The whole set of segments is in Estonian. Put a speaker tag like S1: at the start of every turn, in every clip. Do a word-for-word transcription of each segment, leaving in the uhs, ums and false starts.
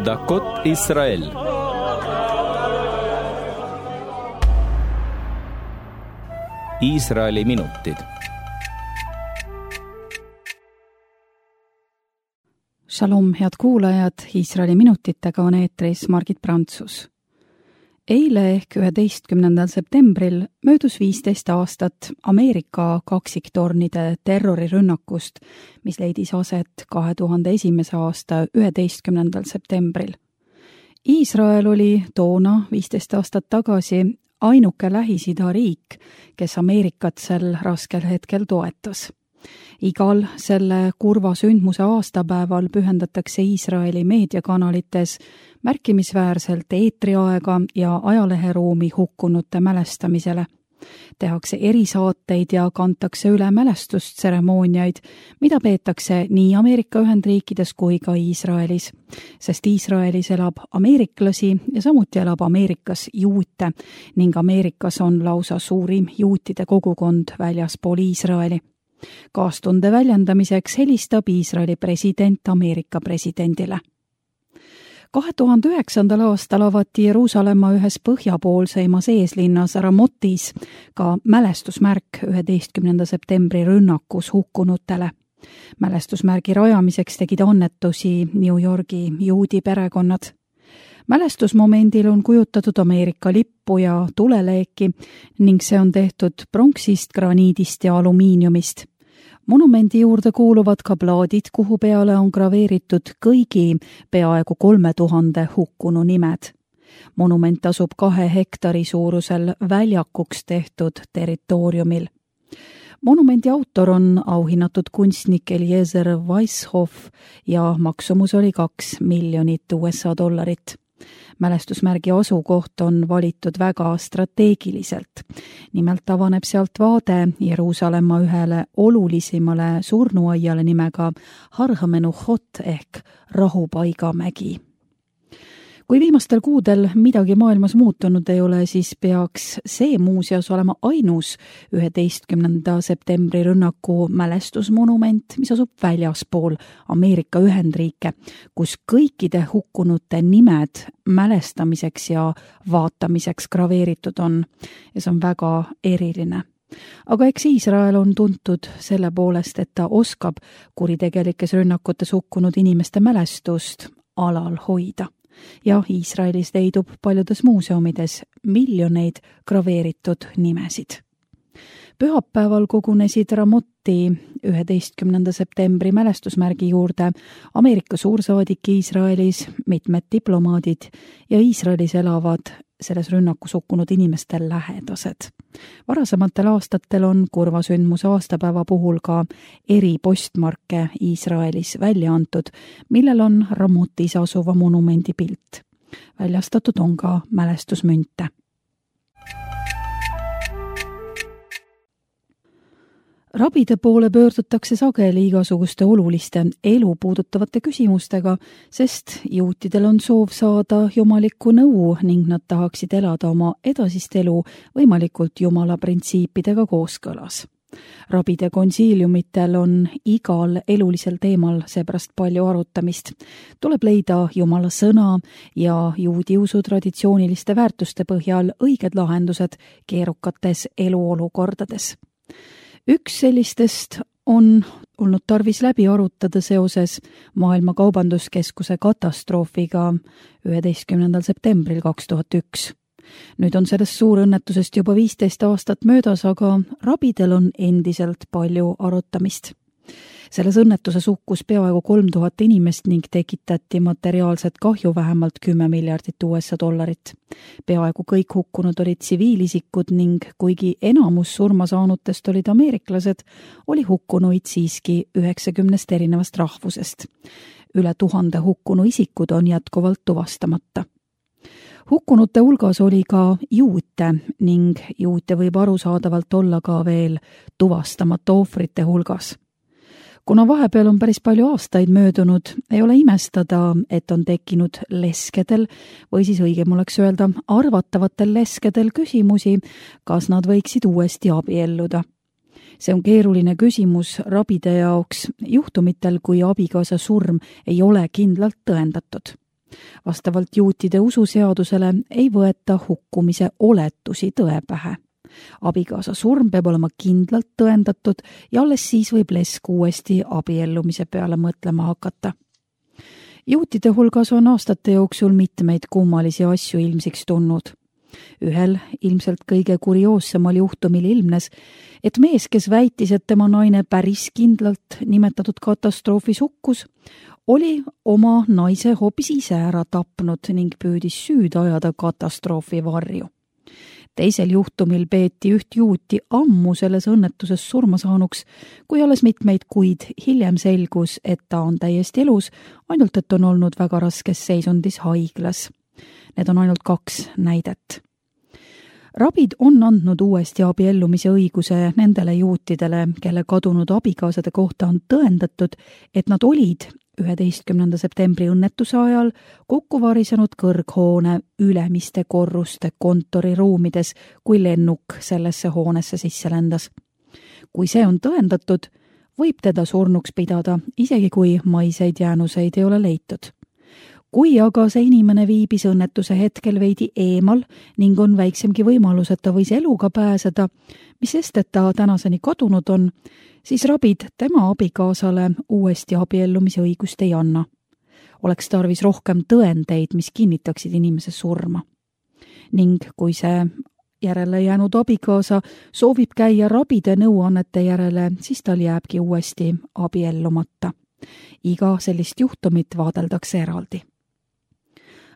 S1: דקות ישראל. Iisraeli minutid.
S2: Shalom, head kuulajad, Iisraeli minutitega on eetris Margit Prantsus. Eile ehk üheteistkümnendal septembril möödus viisteist aastat Ameerika kaksiktornide terrorirünnakust, mis leidis aset kahe tuhande esimese aasta üheteistkümnendal septembril. Iisrael oli toona viisteist aastat tagasi ainuke Lähis-Ida riik, kes Ameerikat sel raskel hetkel toetas. Igal selle kurva sündmuse aastapäeval pühendatakse Iisraeli meediakanalites märkimisväärselt eetriaega ja ajaleheruumi hukkunute mälestamisele. Tehakse erisaateid ja kantakse üle mälestustseremooniaid, mida peetakse nii Ameerika Ühendriikides kui ka Iisraelis, sest Iisraelis elab ameeriklasi ja samuti elab Ameerikas juute ning Ameerikas on lausa suurim juutide kogukond väljaspool Iisraeli. Kaastunde väljendamiseks helistab Iisraeli president Ameerika presidendile. kahe tuhande üheksandal aastal avati Jeruusalemma ühes põhjapoolseimas eeslinnas Ramotis ka mälestusmärk üheteistkümnenda septembri rünnakus hukkunutele. Mälestusmärgi rajamiseks tegid annetusi New Yorgi juudi perekonnad. Mälestusmomendil on kujutatud Ameerika lippu ja tuleleeki ning see on tehtud pronksist, graniidist ja alumiiniumist. Monumendi juurde kuuluvad ka plaadid, kuhu peale on graveeritud kõigi peaaegu kolme tuhande hukkunu nimed. Monument asub kahe hektari suurusel väljakuks tehtud territooriumil. Monumendi autor on auhinnatud kunstnik Eliezer Weishoff ja maksumus oli kaks miljonit U S A dollarit. Mälestusmärgi asukoht on valitud väga strateegiliselt. Nimelt avaneb sealt vaade Jeruusalemma ühele olulisimale surnuaiale nimega Har HaMenuchot ehk Rahupaigamägi. Kui viimastel kuudel midagi maailmas muutunud ei ole, siis peaks see muuseas olema ainus üheteistkümnenda septembri rünnaku mälestusmonument, mis asub väljaspool Ameerika Ühendriike, kus kõikide hukkunute nimed mälestamiseks ja vaatamiseks graveeritud on. Ja see on väga eriline. Aga eks Iisrael on tuntud selle poolest, et ta oskab kuritegelikes rünnakutes hukkunud inimeste mälestust alal hoida. Ja Iisraelis leidub paljudes muuseumides miljoneid graveeritud nimesid. Pühapäeval kogunesid Ramoti üheteistkümnenda septembri mälestusmärgi juurde Ameerika suursaadik Iisraelis, mitmed diplomaadid ja Iisraelis elavad selles rünnakus hukkunud inimeste lähedased. Varasematel aastatel on kurva sündmuse aastapäeva puhul ka eri postmarke Iisraelis välja antud, millel on Ramotis asuva monumendi pilt. Väljastatud on ka mälestusmünte. Rabide poole pöördutakse sageli igasuguste oluliste elu puudutavate küsimustega, sest juutidel on soov saada jumalikku nõu ning nad tahaksid elada oma edasist elu võimalikult jumala printsiipidega kooskõlas. Rabide konsiiliumitel on igal elulisel teemal seepärast palju arutamist. Tuleb leida jumala sõna ja juudi usu traditsiooniliste väärtuste põhjal õiged lahendused keerukates eluolukordades. Üks sellistest on olnud tarvis läbi arutada seoses Maailma Kaubanduskeskuse katastroofiga üheteistkümnendal septembril kaks tuhat üks. Nüüd on sellest suurõnnetusest juba viisteist aastat möödas, aga rabidel on endiselt palju arutamist. Selles õnnetuses hukkus peaaegu kolm tuhat inimest ning tekitati materiaalset kahju vähemalt kümme miljardit U S A dollarit. Peaaegu kõik hukkunud olid tsiviilisikud ning kuigi enamus surmasaanutest olid ameeriklased, oli hukkunuid siiski üheksakümnest erinevast rahvusest. Üle tuhande hukkunu isikud on jätkuvalt tuvastamata. Hukkunute hulgas oli ka juute ning juute võib arusaadavalt olla ka veel tuvastamata ohvrite hulgas. Kuna vahepeal on päris palju aastaid möödunud, ei ole imestada, et on tekkinud leskedel või siis õigem oleks öelda arvatavatel leskedel küsimusi, kas nad võiksid uuesti abielluda. See on keeruline küsimus rabide jaoks juhtumitel, kui abikaasa surm ei ole kindlalt tõendatud. Vastavalt juutide ususeadusele ei võeta hukkumise oletusi tõe pähe. Abikaasa surm peab olema kindlalt tõendatud ja alles siis võib lesk uuesti abiellumise peale mõtlema hakata. Juutide hulgas on aastate jooksul mitmeid kummalisi asju ilmsiks tulnud. Ühel ilmselt kõige kurioossemal juhtumil ilmnes, et mees, kes väitis, et tema naine päris kindlalt nimetatud katastroofis hukkus, oli oma naise hoopis ise ära tapnud ning püüdis süüd ajada katastroofi varju. Teisel juhtumil peeti üht juuti ammu selles õnnetuses surma saanuks, kui alles mitmeid kuid hiljem selgus, et ta on täiesti elus, ainult et on olnud väga raskes seisundis haiglas. Need on ainult kaks näidet. Rabid on andnud uuesti abiellumise õiguse nendele juutidele, kelle kadunud abikaasade kohta on tõendatud, et nad olid üheteistkümnenda septembri õnnetuse ajal kokku varisenud kõrghoone ülemiste korruste kontoriruumides, kui lennuk sellesse hoonesse sisse lendas. Kui see on tõendatud, võib teda surnuks pidada, isegi kui maiseid jäänuseid ei ole leitud. Kui aga see inimene viibis õnnetuse hetkel veidi eemal ning on väiksemgi võimalus, et ta võis eluga pääseda, mis sest, et ta tänaseni kadunud on, siis rabid tema abikaasale uuesti abiellumise õigust ei anna. Oleks tarvis rohkem tõendeid, mis kinnitaksid inimese surma. Ning kui see järele jäänud abikaasa soovib käia rabide nõuannete järele, siis tal jääbki uuesti abiellumata. Iga sellist juhtumit vaadeldakse eraldi.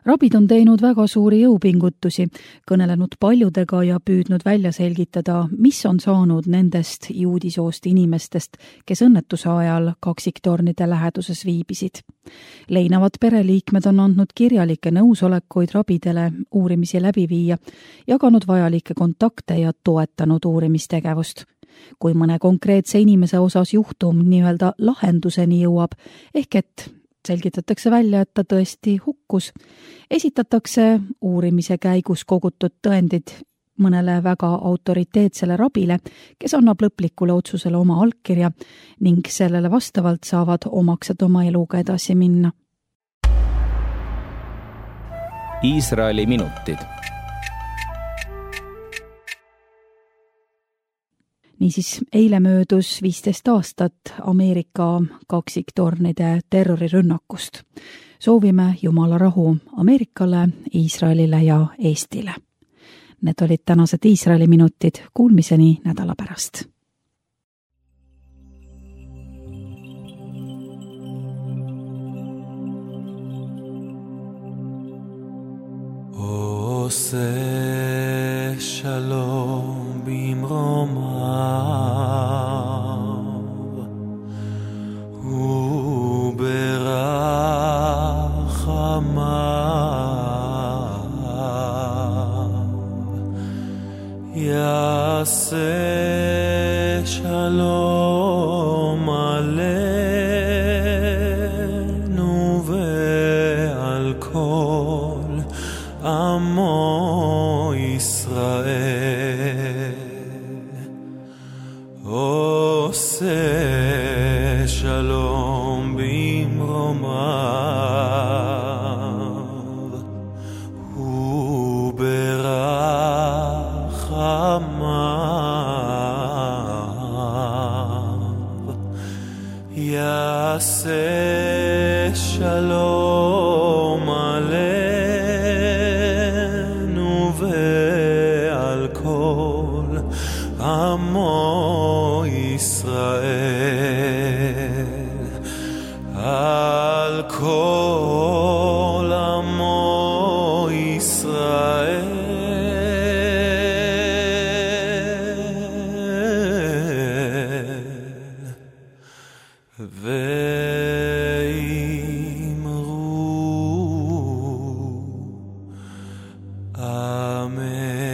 S2: Rabid on teinud väga suuri jõupingutusi, kõnelenud paljudega ja püüdnud välja selgitada, mis on saanud nendest juudisoost inimestest, kes õnnetuse ajal kaksiktornide läheduses viibisid. Leinavad pereliikmed on andnud kirjalikke nõusolekuid rabidele uurimisi läbi viia, jaganud vajalikke kontakte ja toetanud uurimistegevust. Kui mõne konkreetse inimese osas juhtum nii-öelda lahenduseni jõuab, ehk et selgitatakse välja, et ta tõesti hukkus, esitatakse uurimise käigus kogutud tõendid mõnele väga autoriteetsele rabile, kes annab lõplikule otsusele oma allkirja ning sellele vastavalt saavad omaksed oma eluga edasi minna.
S1: Iisraeli minutid.
S2: Niisiis, eile möödus viisteist aastat Ameerika kaksiktornide terrorirünnakust. Soovime Jumala rahu Ameerikale, Iisraelile ja Eestile. Need olid tänased Iisraeli minutid, kuulmiseni nädala pärast.
S3: Ose shalom bimromav uberachamav yaseh shalom aleinu ve'al kol Amo Israel Ose shalom bimromav uberachamav Yaseh shalom aleinu Amo Israel Al kol Amo Israel Ve'imru Amen.